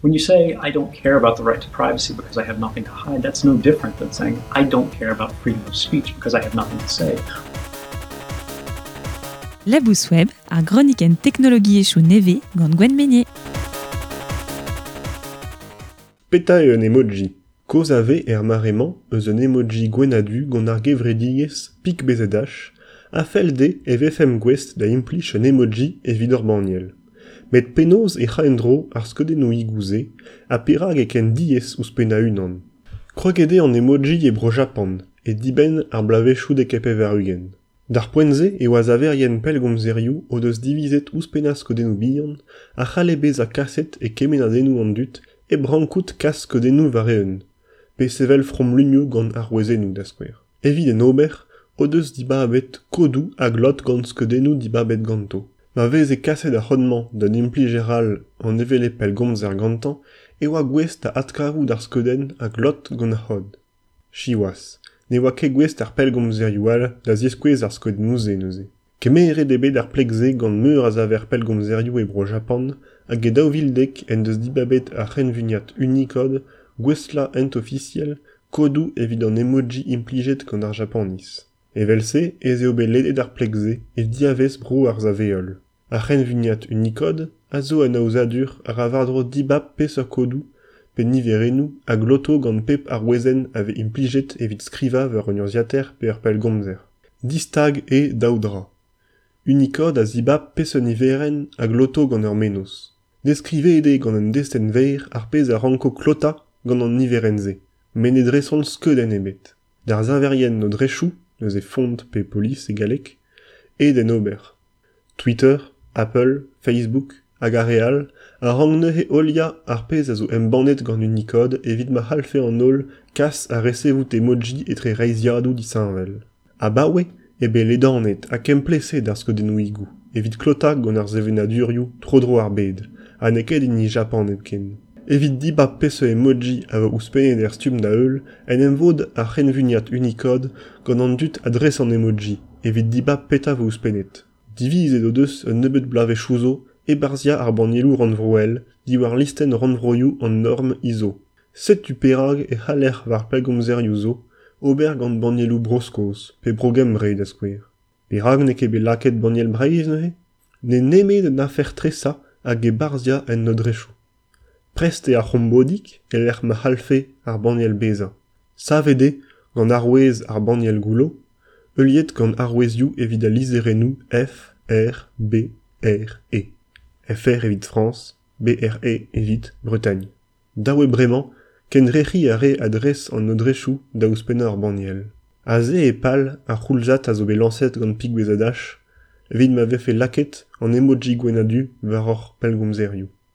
When you say, I don't care about the right to privacy because I have nothing to hide, that's no different than saying, I don't care about freedom of speech because I have nothing to say. Labous Web, ar gronikenn teknologiezhioù nevez gant Gwenn Meynier. Petra eo un emoji? Kaoz a vez er mare-mañ eus un emoji gwenn-ha-du gant ar gevredigezh PicBZH a fell dezhe e vefemp gouest da implij un emoji evit ur banniel. Met penaos e c'ha en-dro ar skeudennoùigoù-se ha perak eo ken diaes ouzhpennañ unan? Kroget eo an emoji e Bro-Japan e dibenn ar bloavezhioù 90. D'ar poent-se e oa saverien pellgomzerioù o deus divizet ouzhpennañ skeudennoù bihan a c'halle bezañ kaset e kemennadennoù an dud hep rankout kas skeudennoù war-eeun, pe sevel fromlunioù gant arouezennoù da skouer. Evit en ober o deus dibabet kodoù a glot gant skeudennoù dibabet ganto. Ma veze kaset ar c'hod-mañ d'un implijer all an hevelep pellgomzer gantañ e oa gouest da adkavout ar skeudenn a glot gant ar c'hod. Siwazh, ne oa ket gouest ar pellgomzerioù all da ziskouez ar skeudennoù-se neuze. Kemeret eo bet ar pleg-se gant meur a saver pellgomzerioù e Bro-Japan hag e 2010 en deus dibabet ar c'henvuniad Unicode gouestlañ ent-ofisiel kodoù evit an emoji implijet gant ar Japaniz. Evel-se ez eo bet ledet ar pleg-se e diavaez bro ar sav-heol. Ar c'henvuniad Unicode a zo un aozadur a ra war-dro dibab peseurt kodoù pe niverennoù a gloto gant pep arouezenn a vez implijet evit skrivañ war un urzhiataer pe ur pellgomzer. Distag eo daou dra. Unicode a zibab peseurt niverenn a gloto gant ur mennozh. Deskrivet eo gant un destenn verr ar pezh a ranko klotañ gant an niverenn-se, met ne dresont skeudenn ebet. D'ar saverien nodrezhoù, neuze font pe polis e galleg, eo d'en ober. Twitter, Apple, Facebook hag ar re all a rank neuze heuliañ ar pezh a zo embannet gant Unicode evit ma c'hallfe an holl kas ha resevout emoji etre reizhiadoù disheñvel. Abaoe eo bet ledanet ha kemplezhet ar skeudennoùigoù evit klotañ gant ar sevenadurioù tro-dro ar bed ha n'eo ket hini Japan hepken. Evit dibab peseurt emoji a vo ouzhpennet er stumm da-heul en em vod ar c'henvuniad Unicode gant an dud a dres an emoji evit dibab petra vo ouzhpennet. Divizet o deus un nebeud bloavezhioù zo ebarzhiañ ar bannieloù rannvroel diwar listenn rannvroioù an norm ISO. Setu perak e c'haller war pellgomzerioù zo ober gant bannieloù Bro-Skos pe Bro-Gembre da skouer. Perak n'eo ket bet lakaet banniel Breizh neuze? N'eo nemet un afer tresañ hag ebarzhiañ en nodrezhoù. Prest eo ar c'hombodig e-lec'h ma c'hallfe ar banniel bezañ. Savet eo gant arouez ar banniel goullo, heuliet gant arouezioù evit al lizherennoù F, R, B, R, E. FR evit Frañs, BRE evit Bretagne. Dav eo bremañ kendrec'hiñ ar re a dres an nodrezhoù da ouzhpennañ ur banniel. Aze eo pal ar c'houlzad a zo bet lañset gant PicBZH evit ma vefe lakaet an emoji gwenn-ha-du war hor pellgomzerioù.